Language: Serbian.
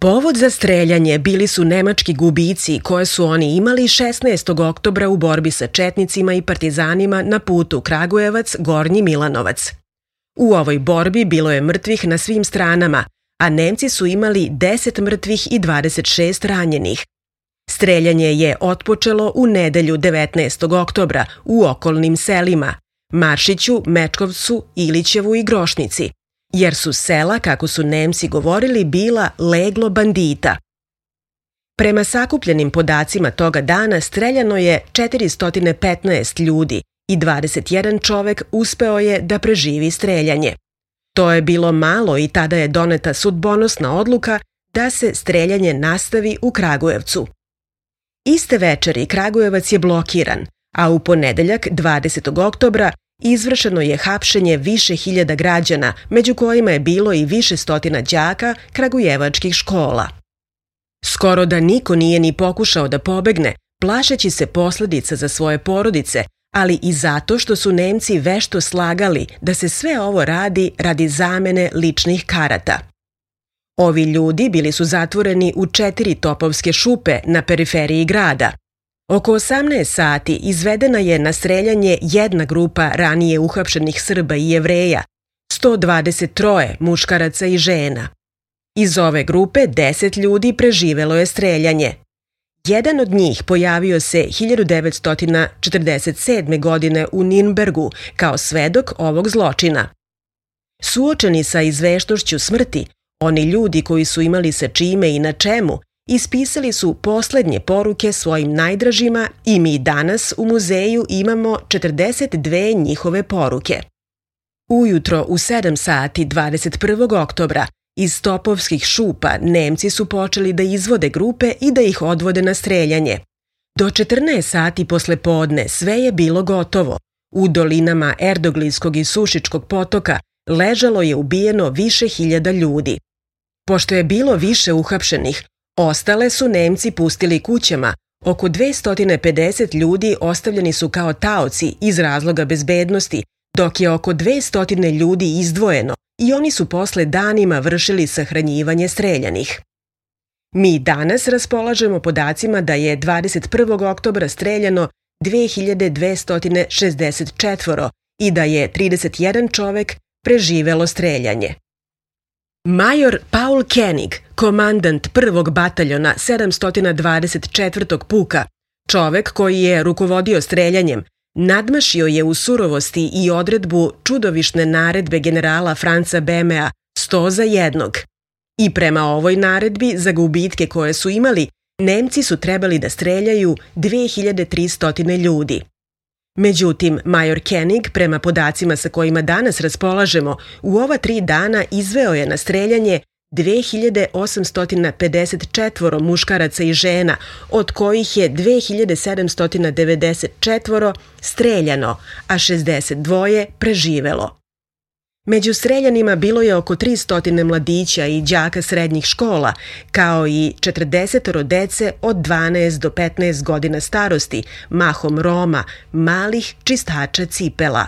Povod za streljanje bili su nemački gubici koje su oni imali 16. oktobra u borbi sa četnicima i partizanima na putu Kragujevac-Gornji Milanovac. U ovoj borbi bilo je mrtvih na svim stranama, a Nemci su imali 10 mrtvih i 26 ranjenih. Streljanje je otpočelo u nedelju 19. oktobra u okolnim selima Maršiću, Mečkovcu, Ilićevu i Grošnici, jer su sela, kako su Nemci govorili, bila leglo bandita. Prema sakupljenim podacima toga dana streljano je 415 ljudi i 21 čovek uspeo je da preživi streljanje. To je bilo malo i tada je doneta sudbonosna odluka da se streljanje nastavi u Kragujevcu. Iste večeri Kragujevac je blokiran, a u ponedeljak 20. oktobra izvršeno je hapšenje više hiljada građana, među kojima je bilo i više stotina đaka kragujevačkih škola. Skoro da niko nije ni pokušao da pobegne, plašeći se posledica za svoje porodice, ali i zato što su Nemci vešto slagali da se sve ovo radi zamene ličnih karata. Ovi ljudi bili su zatvoreni u 4 topovske šupe na periferiji grada. Oko 18 sati izvedena je na streljanje jedna grupa ranije uhapšenih Srba i Jevreja, 123 muškaraca i žena. Iz ove grupe 10 ljudi preživelo je streljanje. Jedan od njih pojavio se 1947. godine u Nirnbergu kao svedok ovog zločina. Suočeni sa izveštošću smrti, oni ljudi koji su imali sa čime i na čemu, ispisali su poslednje poruke svojim najdražima i mi danas u muzeju imamo 42 njihove poruke. Ujutro u 7 sati 21. oktobra iz topovskih šupa Nemci su počeli da izvode grupe i da ih odvode na streljanje. Do 14 sati posle podne sve je bilo gotovo. U dolinama Erdoglijskog i Sušičkog potoka ležalo je ubijeno više hiljada ljudi. Pošto je bilo više uhapšenih, ostale su Nemci pustili kućama. Oko 250 ljudi ostavljeni su kao taoci iz razloga bezbednosti, dok je oko 200 ljudi izdvojeno i oni su posle danima vršili sahranjivanje streljanih. Mi danas raspolažemo podacima da je 21. oktobra streljano 2264 i da je 31 čovek preživelo streljanje. Major Paul Koenig, komandant 1. bataljona 724. puka, čovek koji je rukovodio streljanjem, nadmašio je u surovosti i odredbu čudovišne naredbe generala Franca Bemea 100 za 1. I prema ovoj naredbi za gubitke koje su imali, Nemci su trebali da streljaju 2300 ljudi. Međutim, major Koenig, prema podacima sa kojima danas raspolažemo, u ova 3 dana izveo je na streljanje 2854 muškaraca i žena, od kojih je 2794 streljano, a 62 preživelo. Među streljanima bilo je oko 300 mladića i đaka srednjih škola, kao i 40 dece od 12 do 15 godina starosti, mahom Roma, malih čistača cipela.